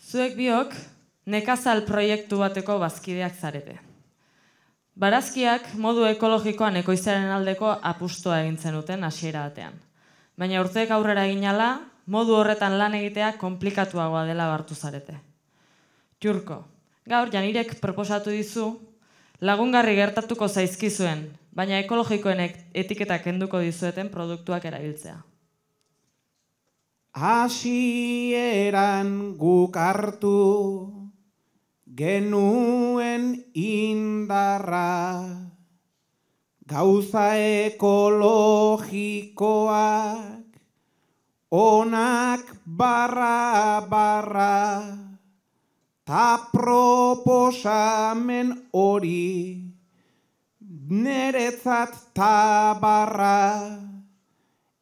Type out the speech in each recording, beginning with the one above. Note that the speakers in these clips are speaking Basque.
Zuek biok nekazal proiektu bateko bazkideak zarete. Barazkiak modu ekologikoan ekoiztearen aldeko apustua egin zenuten hasiera batean. Baina urteek aurrera egin ahala, modu horretan lan egitea konplikatuagoa dela hartu zarete. Jurko, gaur Janirek proposatu dizu lagungarri gertatuko zaizkizuen, baina ekologikoen etiketak kenduko dizueten produktuak erabiltzea. Hasieran guk hartu genuen indarra, gauza ekologikoak onak barra, ta proposamen hori neretzat tabarra,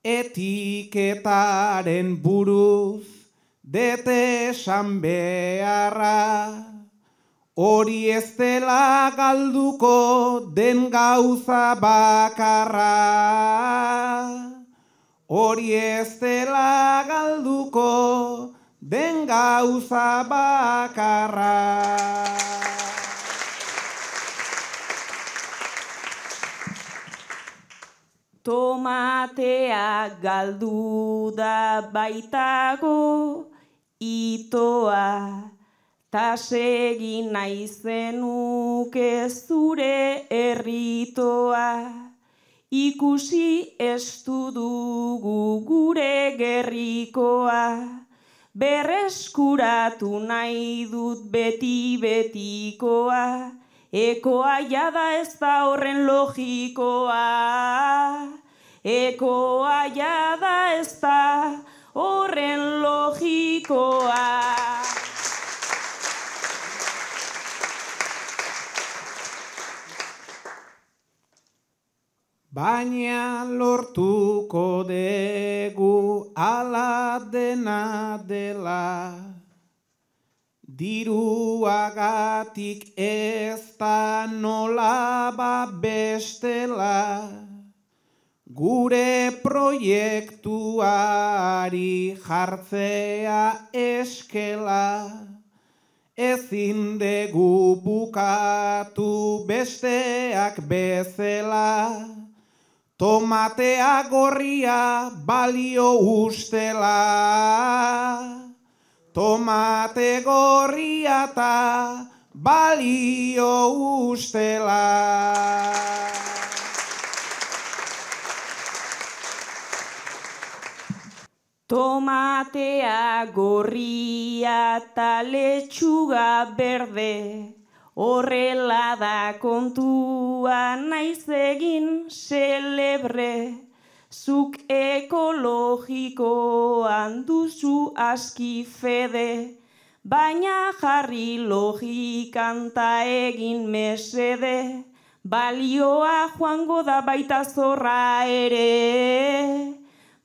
etiketaren buruz dete esan beharra, hori ez dela galduko den gauza bakarra. Hori ez dela galduko den gauza bakarra. Tomatea galdu da baitago itoa, ta segin nahi zenuke zure erritoa. Ikusi estu dugu gure gerrikoa, berreskuratu nahi dut beti-betikoa, ekoa jada ez da horren logikoa, ekoa jada ez da horren logikoa. Baina lortuko dugu ala dena dela, diruagatik ez da nola bestela, gure proiektuari jartzea eskela, ezin dugu bukatu besteak bezala, tomatea gorria balio ustela. Tomate gorria ta balio ustela. Tomatea gorria ta letxuga berde, horrela da kontua naiz egin celebre, zuk ekologikoan duzu aski fede, baina jarri logikan ta egin mesede, balioa joango da baita zorra ere,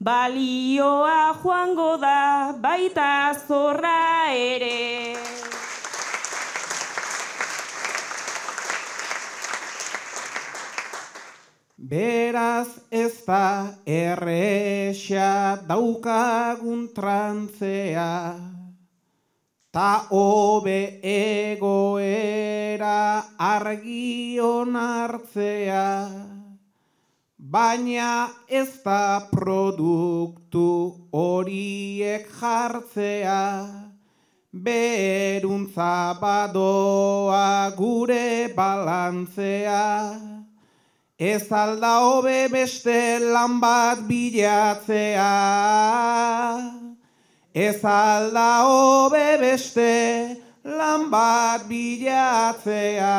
balioa joango da baita zorra ere. Beraz ez da erresa daukagun trantzea, ta hobe egoera argi onartzea, baina ez da produktu horiek jartzea, beruntza badoa gure balantzea. Ez alda hobe beste lan bat bilatzea, ez alda hobe beste lan bat bilatzea.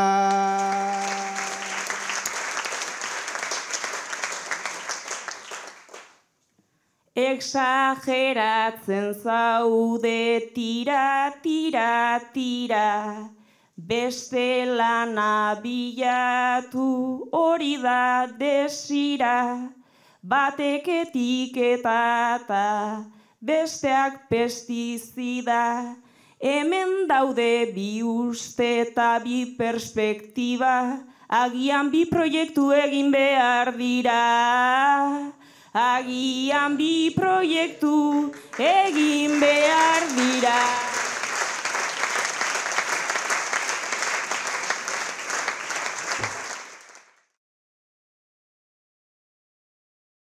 Exageratzen zaude tira, beste lana bilatu hori da desira, batek etiketata, besteak pestizida, hemen daude bi uste eta bi perspektiba, agian bi proiektu egin behar dira. Agian bi proiektu egin behar dira.